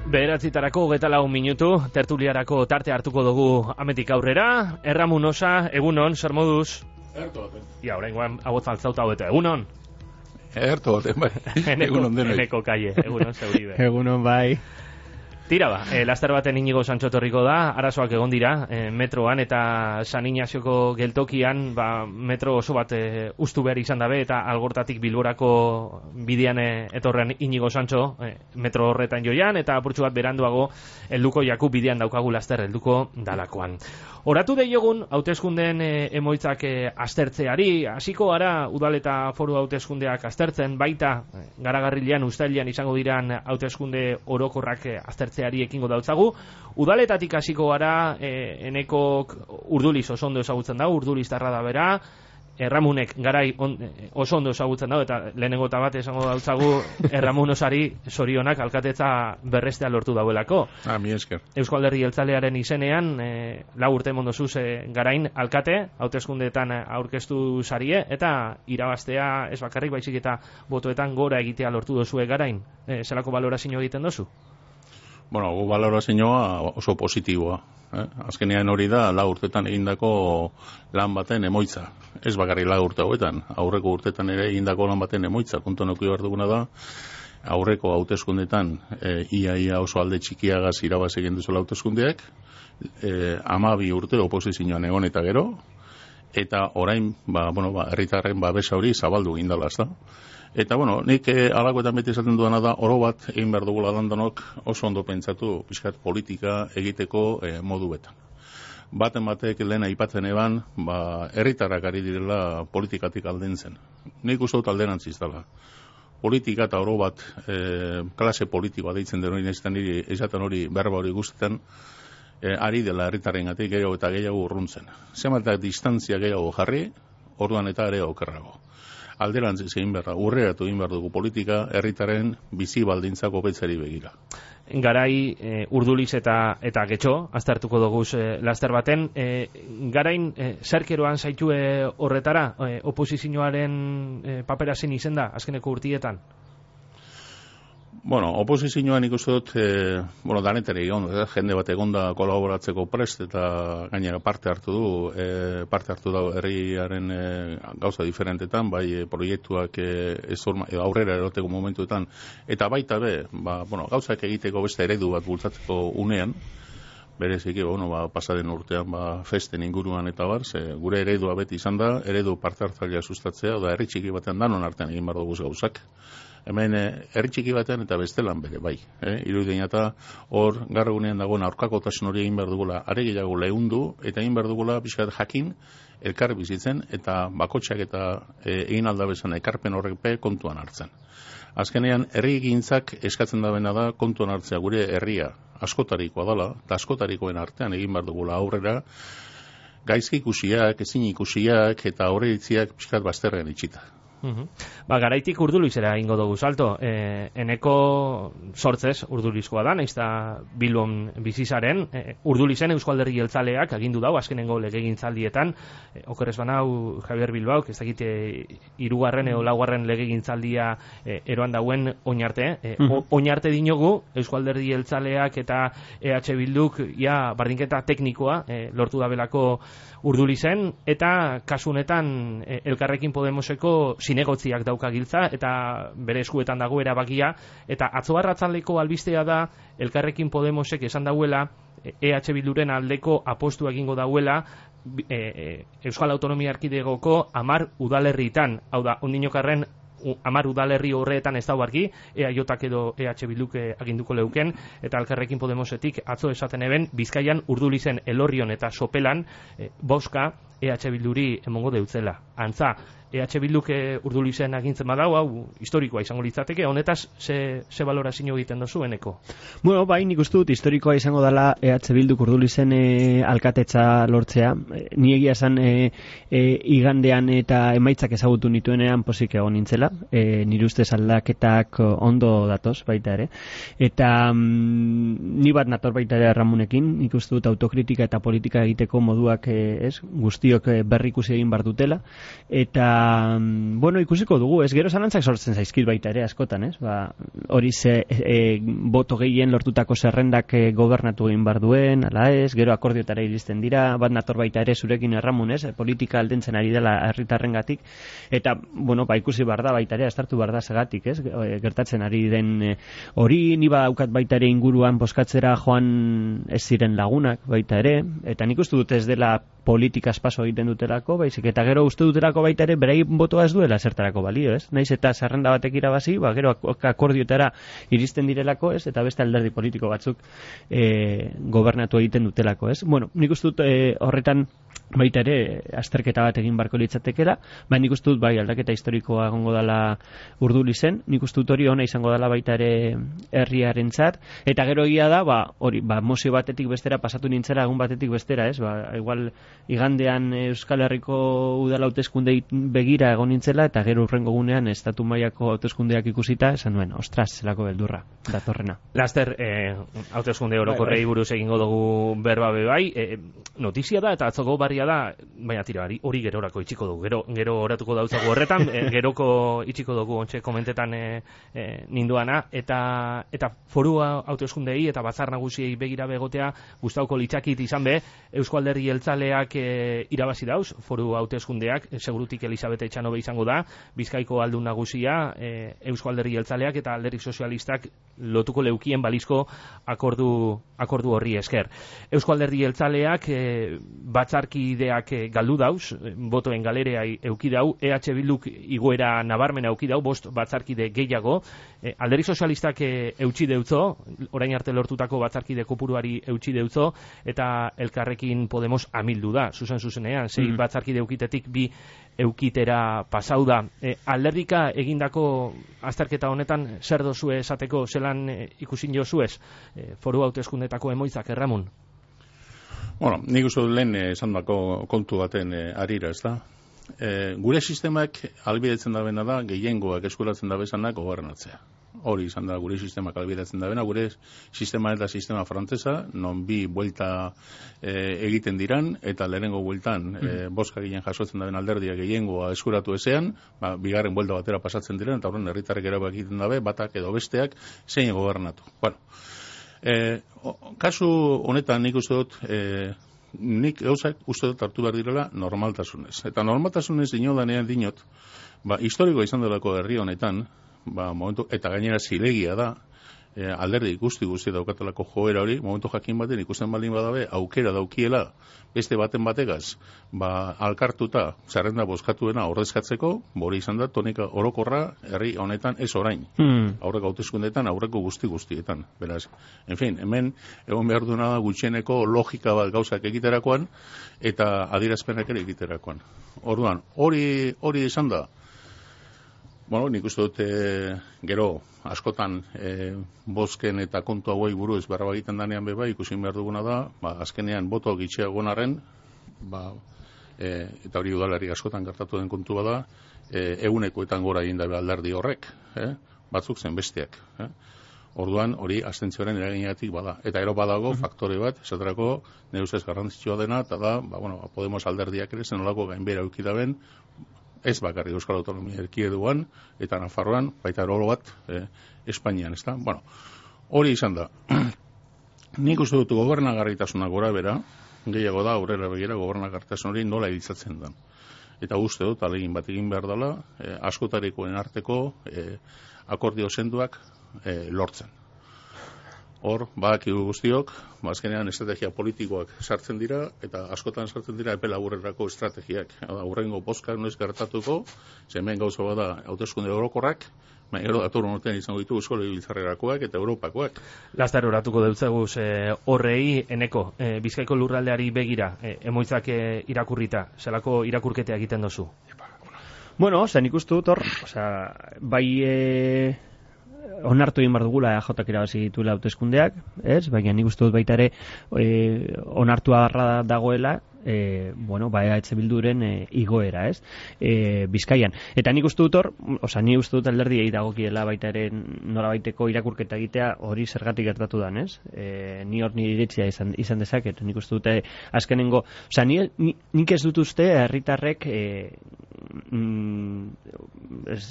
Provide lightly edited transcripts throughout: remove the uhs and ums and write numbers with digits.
Bederatzitarako 24 minutu, tertuliarako tarte hartuko dugu ametik aurrera. Erramun osa, egunon, zer moduz? Ia, oraingoan abotz altzauta hobeta, egunon? Bai. Egunon denoi. Eneko kaie, egunon zeuribe. Egunon bai. Tira ba, laster baten Inigo Santxo torriko da, arazoak egon dira, metroan eta San Ignazioko geltokian, metro oso bat ustu behar izan dabe, eta Algortatik Bilborako bidean etorrean Inigo Santxo, metro horretan joian, eta apurtxu bat beranduago, helduko jaku bidean daukagu laster, helduko dalakoan. Oratu deiogun, hauteskundeen emoitzak aztertzeari, hasiko gara udal eta foru hauteskundeak aztertzen, baita garagarrilean, uztailean izango diran hauteskunde orokorrak aztertzeari ekingo dautzagu. Udaletatik hasiko gara, enekok Urduliz oso ondo ezagutzen da, Urduliztarra da bera, Erramunek garai oso ondo ezagutzen da, eta lehenengo eta bat esango dautzagu Erramun osari zorionak alkatetza berrestea lortu dauelako. Mi esker. Eusko Alderdi Jeltzalearen izenean, 4 urte mondozuz garain alkate, hauteskundeetan aurkeztu sarie, eta irabaztea ez bakarrik baizik eta botoetan gora egitea lortu dozue garain. Zelako balorazio egiten dozu? Bueno, gu balorazioa oso positiboa. Azkenean hori da 4 urtetan egindako lan baten emoitza. Ez bakarrik 4 urte hauetan, aurreko urtetan ere egindako lan baten emoitza. Kontuan eduki behar duguna da, aurreko hauteskundetan ia oso alde txikiagaz irabaz egin duzuela hauteskundeak, 12 urte oposizioan egon eta gero, eta orain, herritarren babesa hori zabaldu egin dela, ezta? Eta, nik alakoetan beti esaten duena da, oro bat egin behar dugula dandanok oso ondo pentsatu pixkat politika egiteko moduetan. Batek lehen aipatzen eban, herritarrak ari direla politikatik aldentzen. Nik uste dut alderantziz dela. Politika eta oro bat klase politikoa deitzen den hori nezitan esaten hori berba hori guztetan, ari dela herritarrengatik gehiago eta gehiago urruntzen. Zematak distantzia gehiago jarri, orduan eta ere okerrago. Alderantziz egin behar, urreratu egin behar dugu politika, herritaren bizi baldintzak hobetzari begira. Garai Urduliz eta Getxo, aztertuko dugu laster baten, garain zerkeroan zaitue horretara, oposizioaren papera zen izen da, azkeneko urtietan? Oposizioan ikusten dut, danetari egon, jende bat egonda kolaboratzeko prest eta gainera parte hartu da herriaren gauza diferentetan, bai proiektuak aurrera eroteko momentuetan, eta baita be, gauzak egiteko beste eredu bat bultzatzeko unean, bereziki, pasaden urtean festen inguruan eta bar, gure eredua beti izan da, eredu parte hartzailea sustatzea, da herri txiki batean danon artean egin behar dugu gauzak. Hemen herri txiki batean eta bestelan bere, bai. Irudien eta hor garrugunean dagoen aurkakotasun hori egin behar dugula, are gehiago lehundu, eta egin behar dugula pixkat jakin, elkar bizitzen, eta bakotxak eta egin aldabezan ekarpen horrek kontuan hartzen. Azkenean, herri egintzak eskatzen da bena da kontuan hartzea gure herria askotarikoa dela, eta askotarikoen artean egin behar dugula aurrera, gaizki ikusiak, ezin ikusiak, eta horretziak pixkat bazterrean itxita. Garaitik Urdulizera ingo dugu salto. Eneko sortzez Urdulizkoa da, nahiz da Bilbon bizizaren. Urdulizen Eusko Alderdi Jeltzaleak agindu dau, azkenengo legegintzaldietan. Okerrez banau Javier Bilbaok, ez dakite 3. edo 4. legegintzaldia eroan dauen oinarte. Oinarte dinogu Eusko Alderdi Jeltzaleak eta EH Bilduk bardinketa teknikoa lortu dabelako Urdulizen, eta kasunetan Elkarrekin Podemoseko zinegotziak dauka giltza, eta bere eskuetan dago erabakia, eta atzo arratsaldeko albistea da Elkarrekin Podemosek esan dauela EH Bilduren aldeko apostu egingo dauela Euskal Autonomia Erkidegoko 10 udalerritan, hau da, ondinokarren 10 udalerri horretan ez dau argi, EAJak edo EH Bilduk aginduko leuken, eta Elkarrekin Podemosetik atzo esaten eben, Bizkaian Urdulizen, Elorrion eta Sopelan boska EH Bilduri emongo deutzela. Antza, EH Bilduk Urdulizen agintzen badau, hau historikoa izango litzateke, honetaz ze balorazio egiten dozu eneko? Bai, nik uste dut historikoa izango dela EH Bilduk Urdulizen alkatetza lortzea. Ni egia esan igandean eta emaitzak ezagutu nituenean posik egon nintzela, nire ustez aldaketak ondo datoz baita ere, eta ni bat nator baita ere Ramunekin, nik uste dut autokritika eta politika egiteko moduak guztiok berrikusi egin bar dutela, eta bueno, ikusiko dugu, ez gero zalantzak sortzen zaizkit baita ere askotan, ez? Hori boto gehien lortutako zerrendak gobernatu egin bar duen, ala ez, gero akordiotara iristen dira, bat nator baita ere zurekin erramun, ez? Politika aldentzen ari dela herritarrengatik, eta, bueno, ikusi bar da baita ere, astartu bar da segatik, ez? Gertatzen ari den hori, ni badaukat baita ere inguruan boskatzera joan ez ziren lagunak baita ere, eta nik uste dut ez dela politika espaso egiten dutelako, baizik, eta gero uste dutelako baita ere berei botoa ez duela zertarako balio, ez? Naiz eta zerrenda batek irabazi, gero akordiotara iristen direlako, ez? Eta beste alderdi politiko batzuk gobernatu egiten dutelako, ez? Bueno, nik uste dut horretan baita ere azterketa bat egin barko litzatekela, baina nik uste dut bai aldaketa historikoa egongo dela Urdulizen, nik uste dut hori ona izango dela baita ere herriarentzat, eta gero egia da, hori, mozio batetik bestera pasatu nintzera egun batetik bestera, ez? Igual igandean Euskal Herriko udala hauteskundei begira egon nintzela, eta gero urrengo gunean estatu mailako hauteskundeak ikusita, esan nuen, ostras, zelako beldurra, datorrena. Laster, hauteskunde orokorrei buruz egingo dugu berba bai, notizia da, eta atzoko barria da, baina tira, hori gerorako itxiko dugu, gero oratuko dautzago horretan, geroko itxiko dugu ontxe komentetan ninduana, eta foru hauteskundei eta batzar nagusiei begira begotea gustauko litzakit izan be, Eusko Alderdi Jeltzaleak irabazi dauz, foru hauteskundeak, segurutik Elisabete Etxanobe izango da, Bizkaiko aldun nagusia, Eusko Alderdi Jeltzaleak eta Alderdi Sozialistak lotuko leukien balizko akordu horri esker. Eusko Alderdi Jeltzaleak batzarkideak galdu dauz, botoen galerea euki dau, EH Bilduk igoera nabarmena euki dau, 5 batzarkide gehiago, Alderdi Sozialistak eutsi deutzo, orain arte lortutako batzarkide kopuruari eutsi deutzo, eta Elkarrekin Podemos amildu da, zuzenean, 6 batzarkide eukitetik 2 eukitera pasau da. Alderdika egindako azterketa honetan zer dozue esateko, zelan ikusin jozuez, foru hauteskundetako emoitzak, Erramun? Bueno, nik uste dut lehen esandako kontu baten arira, ez da? Gure sistemak albidetzen da bena da, gehiengoak eskuratzen da bezanak gobernatzea. Hori izan da gure sistemak albidetzen da bena, gure sistema eta sistema frantzesa, non 2 buelta egiten diran, eta lehenengo bueltan boska ginen jasotzen da ben alderdia gehiengoa eskuratu ezean, bigarren buelta batera pasatzen diren, eta horren herritarrek erabak egiten dabe, batak edo besteak zein gobernatu. Bueno, kasu honetan nik uste dut, nik gauzak uste dut hartu behar direla normaltasunez. Eta normaltasunez dinodanean dinot, historiko izan delako herri honetan, momentu, eta gainera zilegia da, alderdi guzti daukatelako joera hori, momentu jakin baten ikusten baldin badabe, aukera daukiela, beste baten bategaz, alkartuta, zerrenda bozkatuena ordezkatzeko, bori izan da, tonika orokorra herri honetan ez orain. Aurreko hauteskundetan, aurreko guztietan. Beraz, en fin, hemen, egon behar duena da gutxieneko logika bat gauzak egiterakoan, eta adierazpenak ere egiterakoan. Orduan, hori izan da, bueno, nik uste dut gero askotan bozken eta kontu hauei buruz berba egiten danean beba ikusin behar duguna da, azkenean boto gitxiagoan arren, eta hori udalari askotan gertatu den kontu bada, egunekoetan gora egin dabe alderdi horrek, batzuk zen besteak. Orduan hori abstentzioaren eraginagatik bada. Eta gero badago faktore bat, esaterako nire ustez garrantzitsua dena, eta da, Podemos alderdiak ere zenolako gainbera eukidaben, ez bakarrik Euskal Autonomia Erkidegoan eta Nafarroan, baita oro bat Espainian, ezta? Bueno, hori izan da. Nik uste dut gobernagarritasuna gora bera, gehiago da aurrera begira gobernagarritasun hori nola iritzatzen da. Eta uste dut alegin bat egin behar dela, askotarikoen arteko akordio senduak lortzen. Hor, badakigu guztiok, azkenean estrategia politikoak sartzen dira, eta askotan sartzen dira epe laburrerako estrategiak. Aurrengo bozkak noiz gertatuko, hemen gauza bada hauteskunde orokorrak, gero datorren urtean izango ditu Eusko Legebiltzarrerakoak eta Europakoak. Laster oratuko deutzeguz horrei, eneko, Bizkaiko lurraldeari begira, emoitzak irakurrita, zelako irakurketea egiten dozu? Bueno, zen ikustu dut hor, bai onartu egin bar dugula EJak irabazi dituela hauteskundeak, ez? Baina nik uste dut baita ere onartu agarra dagoela EH Bilduren igoera, ez? Bizkaian. Eta nik uste dut hor, nik uste dut alderdiei dagokiela baita ere norabaiteko irakurketa egitea hori zergatik gertatu dan, ez? Ni hor nire iritzia izan dezaket, nik uste dut azkenengo, nik ez dut uste herritarrek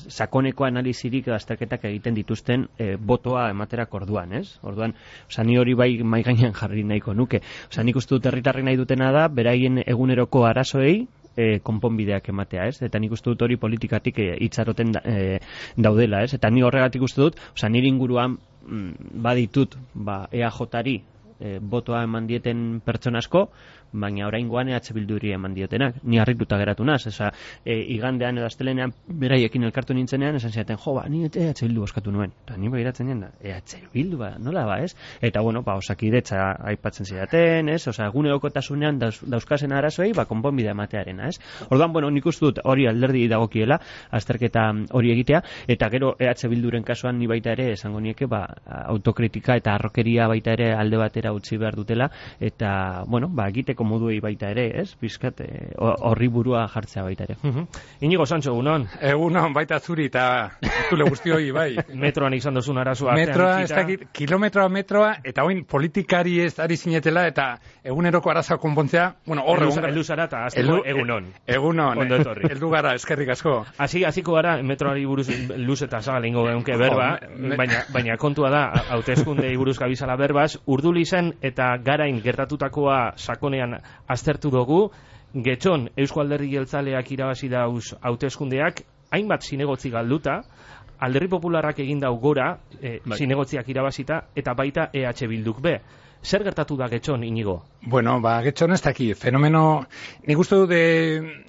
sakoneko analizirik azterketak egiten dituzten botoa ematerak orduan, ez? Orduan, ni hori bai mahai gainean jarri nahiko nuke. Nik uste dut herritarrek nahi dutena da, beraien eguneroko arazoei konponbideak ematea, ez? Eta nik uste dut hori politikatik itxaroten daudela, ez? Eta ni horregatik uste dut, nire inguruan baditut, EAJ-ari botoa eman dieten pertsona asko, baina oraingoan EH Bilduri eman diotenak. Ni harrituta geratu naz, igandean edo astelenean beraiekin elkartu nintzenean, esan ziaten, ni EH Bildu oskatu nuen. Eta ni begiratzen nien, EH Bildu, nola ez? Eta Osakidetza aipatzen zidaten, ez? Egunerokotasunean dauzkazen arazoei, konponbidea ematearena, ez? Orduan, nik uste dut hori alderdi dagokiela, azterketa hori egitea, eta gero EH Bilduren kasuan ni baita ere, esango nieke, autokritika eta arrokeria baita ere alde batera utzi behar dutela, eta, egiteko moduei baita ere, ez? Bizkat, horri burua jartzea baita ere. Inigo Sancho, egunon? Egunon, baita zuri, eta zule guztioi, bai. Metroan izan dozun arazoa. Metroa, ez dakit, kilometroa, eta oin politikari ez ari zinetela, eta eguneroko arazoa konpontzea, hor egun gara. Eldu zara, eta azteko egunon. Egunon, ondo etorri. Eldu gara, eskerrik asko. Hasiko gara, metroari buruz luz eta zagal ingo geunke berba, baina kontua da, hauteskundei buruz gabizala berbaz, Urdulizen eta Garain gertatutakoa sakonean aztertu dugu, Getxon Eusko Alderdi Jeltzaleak irabazi dauz hauteskundeak, hainbat zinegotzi galduta, Alderdi Popularrak egin dau gora, zinegotziak irabazita, eta baita EH Bilduk be. Zer gertatu da Getxon, Inigo? Getxon ez daki, fenomeno, nik uste dut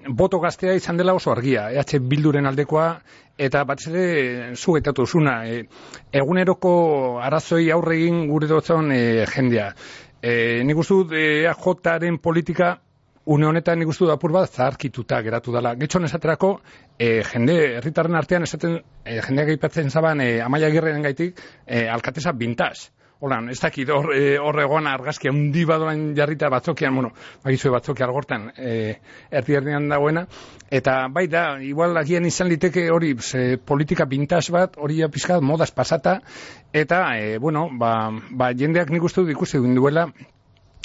boto gaztea izan dela oso argia, EH Bilduren aldekoa, eta batez ere zugetatu zuna, eguneroko arazoi aurregin gure dotzen jendea. Nik uste dut EAJ-aren politika une honetan nik uste dut apur bat zaharkituta geratu dela. Getxon esaterako, herritarren artean esaten, jendeak aipatzen zaban Amaia Agirreren gaitik, alkatesa bintaz. Holan, ez dakit hor egon argazki handi badoan jarrita batzokian, bagizue batzoki algortan erdi-erdian dagoena, eta bai da, igual agian izan liteke hori politika bintaz bat, hori pizkat modaz pasata, eta, jendeak nik uste dut ikusi duela,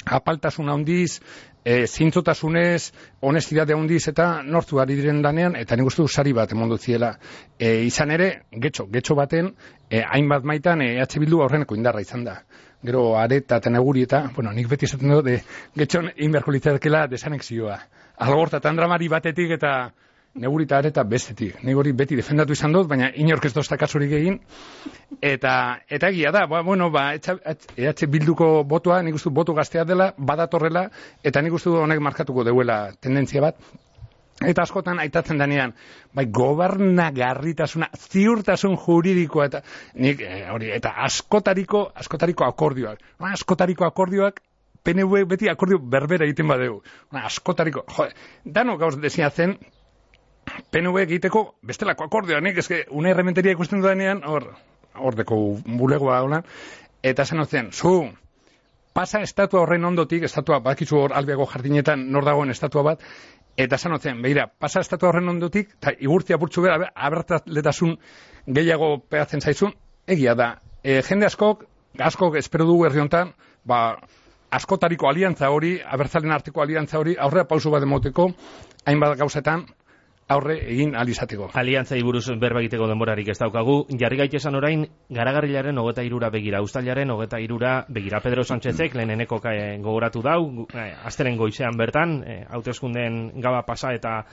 apaltasun handiz, zintzotasunez, honestidade handiz eta nortu ari diren danean, eta nik uste dut sari bat emondu ziela. Izan ere, getxo baten, hainbat maitan EH Bildu aurreneko indarra izan da. Gero areta eta neguri eta, nik beti esaten dut, getxon inberko litzakela desanexioa. Algorta eta andramari batetik eta neguri eta areta bestetik. Nik hori beti defendatu izan dut, baina inork ez dozta kasurik egin. Eta egia da, EH Bilduko botoa, nik uste boto gaztea dela, badatorrela, eta nik uste honek markatuko deuela tendentzia bat. Eta askotan aitatzen denean, gobernagarritasuna, ziurtasun juridikoa, eta nik hori, eta askotariko akordioak. Askotariko akordioak, PNV beti akordio berbera egiten badeu. Askotariko, dano gauz desinatzen, PNV egiteko bestelako akordioa, nik eske una errementeria ikusten dudanean, hor deko bulegoa hola, eta zen pasa estatua horren ondotik, estatua bakizu hor albeago jardinetan nor dagoen estatua bat, eta zen, begira, pasa estatua horren ondotik, eta igurtzia burtsu bera, abertatletasun gehiago pegatzen zaizun, egia da, jende askok espero dugu herri honetan, askotariko aliantza hori, abertzalen arteko aliantza hori, aurrera pausu bat emoteko, hainbat gauzetan, aurre egin alizateko. Aliantzai buruz berba egiteko denborarik ez daukagu. Jarri gaitesan orain, Garagarrilaren 23 begira, Uztailaren 23 begira. Pedro Sánchezek leheneneko gogoratu dau, astelen goizean bertan, hauteskundeen gaba pasa eta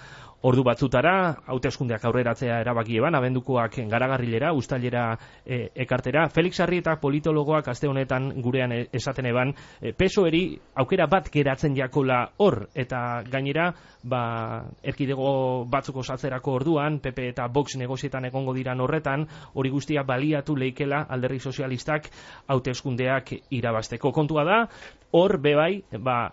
ordu batzutara, hauteskundeak aurreratzea erabaki eban, abendukoak Garagarrilera, Uztailera ekartera. Felix Arrieta politologoak aste honetan gurean esaten eban, PSOE-eri aukera bat geratzen jakola hor, eta gainera, erkidego batzuk osatzerako orduan, PP eta Vox negozietan egongo diran horretan, hori guztia baliatu leikela Alderdi Sozialistak hauteskundeak irabazteko. Kontua da, hor bebai,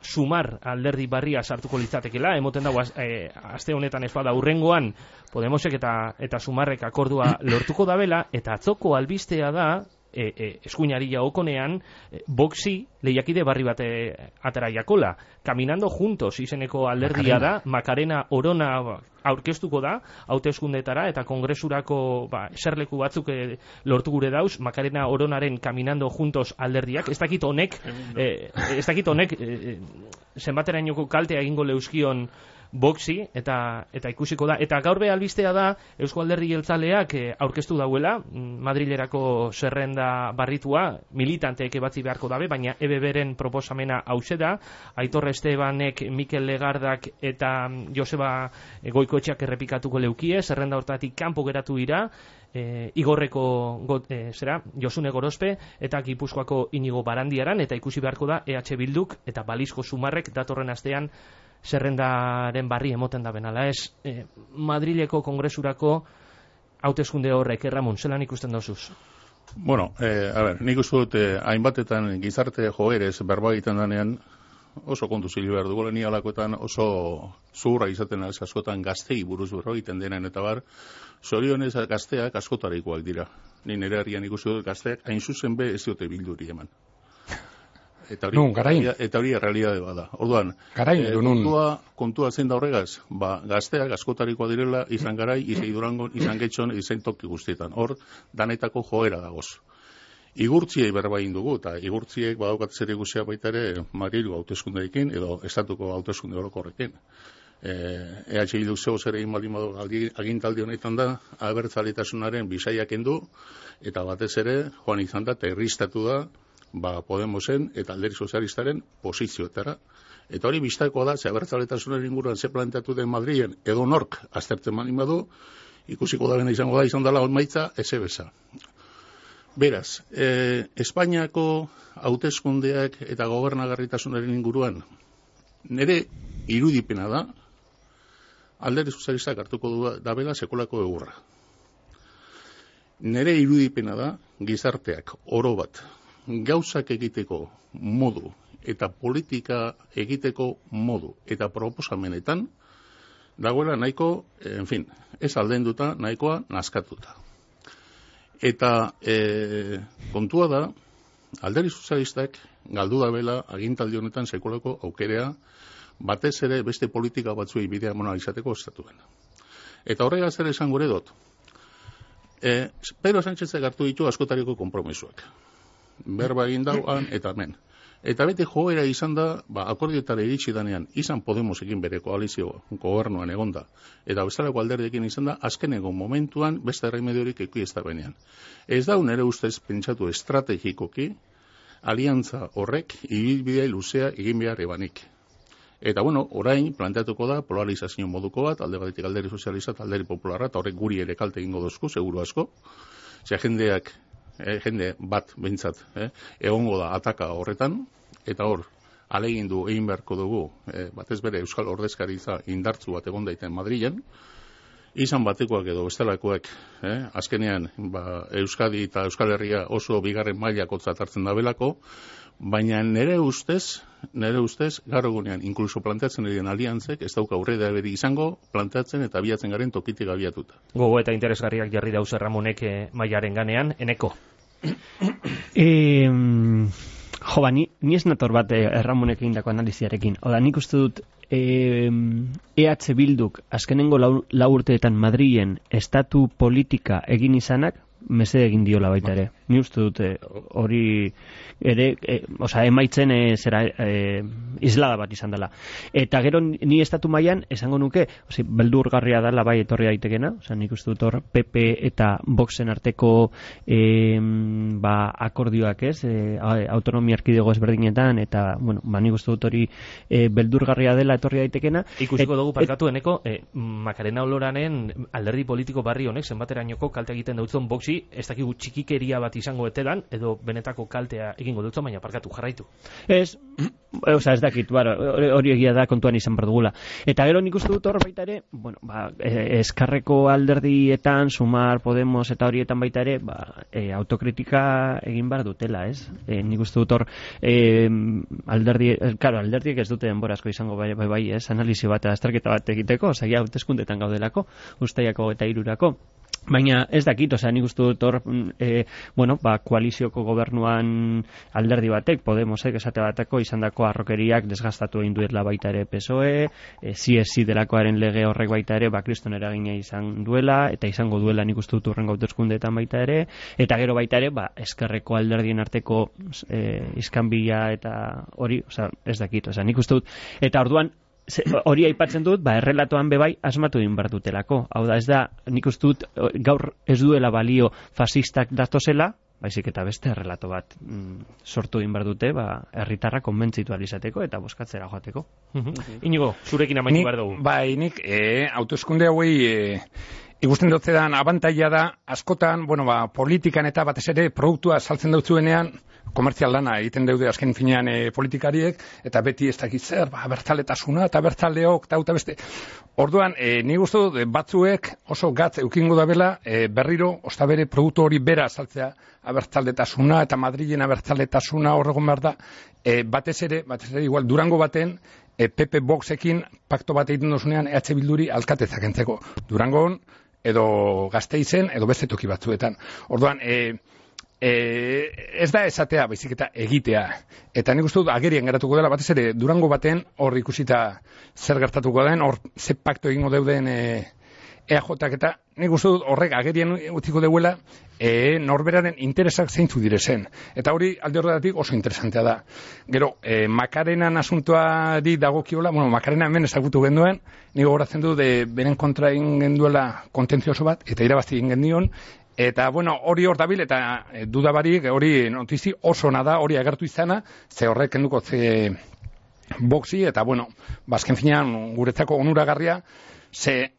sumar alderdi barria sartuko litzatekela, emoten dago aste honetan ez bada urrengoan Podemosek eta sumarrek akordua lortuko dabela, eta atzoko albistea da, eskuinari jaokonean, Voxi lehiakide barri bate atera jakola. Caminando Juntos izeneko alderdia da, Macarena Orona aurkeztuko da, hauteskundetara eta kongresurako eserleku batzuk lortu gure dauz, Macarena Oronaren Caminando Juntos alderdiak. Ez dakit honek zenbaterainoko kaltea egingo leuskion boxi eta ikusiko da. Eta gaur be albistea da Eusko Alderdi Jeltzaleak aurkeztu dauela Madrilerako zerrenda barritua, militanteek ebatzi beharko dabe, baina EBBren proposamena hause da. Aitor Estebanek, Mikel Legardak eta Joseba Goikoetxeak errepikatuko leukie, zerrenda hortatik kanpo geratu dira, Igorreko Josune Gorospe eta Gipuzkoako Inigo Barandiaran, eta ikusi beharko da EH Bilduk eta Balizko Sumarrek datorren astean zerrendaren barri emoten da benala. Ez, Madrileko Kongresurako hauteskunde horrek, Ramon, zelan ikusten dozuz? Bueno, nik uste dut hainbatetan gizarte joerez berba egiten danean oso kontu zilu behar dugu, ni alakoetan oso zuhurra izaten az askotan gaztei buruz berro egiten denen eta bar, zorionez gazteak askotarikoak dira. Ni nire herrian ikusi dut gazteak hain zuzen be ez diote Bilduri eman. Eta hori errealidade bada. Orduan, kontua zein da horregaz, gazteak askotarikoa direla, izan Garai, izan Durangon, izan Getxon, izan toki guztietan. Hor, danetako joera dagoz. Igurtziei berba egin dugu, eta igurtziek badaukat zer ikusia baita ere Madrilgo hauteskundeekin edo estatuko hauteskunde orokorrekin. EH Bilduk zeo zer egin baldin badu agintaldi honetan da, abertzaletasunaren bisaiak kendu, eta batez ere joan izan da, eta irristatu da, Podemosen eta Alderdi Sozialistaren posizioetara. Eta hori biztakoa da, ze abertzaletasunaren inguruan ze planteatu den Madrilen edo nork aztertzen baldin badu, ikusiko da bena izango da, izan dela onmaitza, ezebeza. Beraz, Espainiako hauteskundeak eta gobernagarritasunaren inguruan nire irudipena da, Alderdi Sozialistak hartuko dabela sekolako egurra. Nire irudipena da, gizarteak oro bat, gauzak egiteko modu eta politika egiteko modu eta proposamenetan dagoela nahiko, ez aldenduta, nahikoa naskatuta. Eta kontua da, Alderdi Sozialistak galdu dabela agintaldi honetan sekolako aukerea, batez ere beste politika batzuei bidea mona izateko estatuan. Eta horregaz ere esan gure dut, Pedro Sánchezek hartu ditu askotariko konpromisoak. Berba egin dauan eta hemen. Eta bete joera izan da, akordioetara iritsi danean, izan Podemosekin bere koalizio gobernuan egonda, eta bestelako alderdiekin izan da, azkeneko momentuan beste erremediorik eki ez da benean. Ez da nere ustez pentsatu estrategikoki, aliantza horrek ibilbidea luzea egin behar ebanik. Eta orain planteatuko da polarizazio moduko bat, alde batetik Alderdi Sozialista, Alderdi Popularra, eta horrek guri ere kalte egingo dozku, seguru asko. Jende bat behintzat egongo da ataka horretan, eta hor alegindu egin beharko dugu batez bere Euskal Ordezkaritza indartzu bat egon daiten Madrilen, izan batekoak edo bestelakoak azkenean Euskadi eta Euskal Herria oso bigarren mailakotzat hartzen da belako, baina nere ustez gaur egunean inkluso planteatzen diren aliantzek ez dauka aurrera beri izango planteatzen eta abiatzen garen tokitik abiatuta. Gogo eta interesgarriak jarri dauz Ramonek mailaren ganean, eneko. Ni ez nator bat Ramonek egindako analiziarekin. Oda, nik uste dut EH Bilduk azkenengo lau urteetan Madrilen estatu politika egin izanak mesede egin diola baita ere. Ni uste dut hori ere, emaitzen islada bat izan dela. Eta gero ni estatu mailan esango nuke, beldurgarria dela bai etorri daitekena, nik uste dut hor PP eta Voxen arteko akordioak autonomia erkidego ezberdinetan, eta nik uste dut hori beldurgarria dela etorri daitekena. Ikusiko dugu parkatu eneko, Macarena Oloranen alderdi politiko barri honek zenbaterainoko kalte egiten dautzen Voxi, ez dakigu txikikeria bat izango etedan, edo benetako kaltea egingo dutzo, baina parkatu, jarraitu. Ez dakit, hori egia da kontuan izan berdugula. Eta gero nik uste dut hor baita ere, eskarreko alderdietan, Sumar, Podemos eta horietan baita ere, autokritika egin behar dutela, ez? Nik uste dut hor alderdiek ez dute denbora asko izango bai, ez? Analizi bat, azterketa bat egiteko, zaila hauteskundetan gaudelako, Uztailako eta 3rako. Baina ez dakit, nik uste dut hor, koalizioko gobernuan alderdi batek, Podemosek esate bateko izandako arrokeriak desgastatu egin duela baita ere PSOE, CSI delakoaren lege horrek baita ere, kriston eragina izan duela, eta izango duela nik uste dut urrengo hauteskundeetan baita ere, eta gero baita ere, eskerreko alderdien arteko iskanbila eta hori, ez dakit, nik uste dut, eta orduan, hori aipatzen dut, errelatoan bebai asmatu egin behar dutelako. Hau da, ez da, nik uste dut gaur ez duela balio fasistak datozela, baizik eta beste errelato bat sortu egin behar dute, herritarra konbentzitu alizateko eta bozkatzera joateko. Inigo, zurekin amaitu behar dugu. Bai, nik hauteskunde hauei ikusten dutzedan abantaila da, askotan, politikan eta batez ere produktua saltzen dutzuenean, komertzial lana egiten daude azken finean politikariek, eta beti ez dakit zer, bertzaletasuna eta bertzaleok, eta beste. Orduan, nik uste dut batzuek oso gatz eukingo da bela, berriro, ostabere produktu hori bera saltzea, abertzaletasuna eta Madrilen abertzaletasuna horregon behar da, batez ere, igual, Durango baten, PP Voxekin pakto bat egiten dozunean EH Bilduri alkatetzak entzeko. Durangon, edo Gasteizen, edo beste toki batzuetan. Orduan, ez da esatea, baizik eta egitea. Eta nik uste dut agerien geratuko dela, batez ere Durango baten hor ikusita zer gertatuko den, hor ze pakto egingo deuden EAJak eta nik uste dut horrek agerien utziko deuela norberaren interesak zeintzu direzen. Eta hori alde horretatik oso interesantea da. Gero, Makarenan asuntoari dagokiola, Makarena hemen ezagutu genduen, nik gogoratzen du beren kontra egin genduela kontentzioso bat, eta irabazi egin gendion, eta, hori hor dabil, eta dudabarik, hori notizi oso ona da, hori agertu izana, ze horrek kenduko ze boxi, eta, bazken finean guretzako onuragarria, ze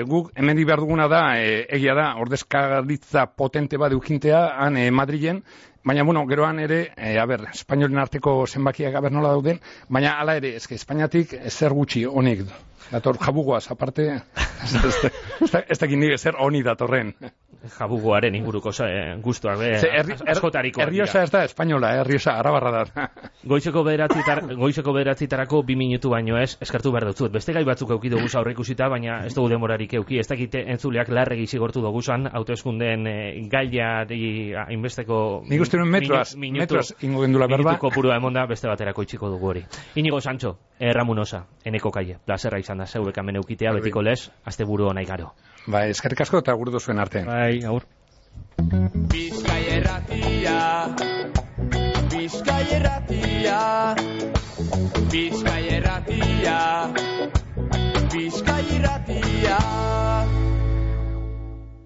guk hemen behar duguna da, egia da, ordezkaritza potente bat eukintea, han Madrilen, baina, geroan ere, espainolen arteko zenbakiak nola dauden, baina hala ere, Espainiatik zer gutxi honik dator, jabugoaz, aparte, ez dakit nire zer honi datorren. Jabugoaren inguruko guztuak, askotariko. Erriosa ez da espainola, Erriosa arabarra da. Goizeko bederatzitarako 2 minutu baino ez, eskartu behar dut. Beste gai batzuk euki dugu aurre ikusita, baina ez dugu denborarik euki. Ez dakite entzuleak larregi zigortu dugu zan, hauteskundeen gaiari inbesteko nik uste nuen metroaz ingo gendula berba. Minutuko purua emonda, beste baterako itxiko dugu hori. Inigo Sancho, Ramunosa, Eneko Kaie, plazerra izan da, zeuek hemen eukitea, betiko lez, asteburu ona igaro. Bai, eskerrik asko eta gurtu zuen arte. Bai, agur. Bizkai erratia, Bizkai erratia, Bizkai erratia, Bizkai erratia.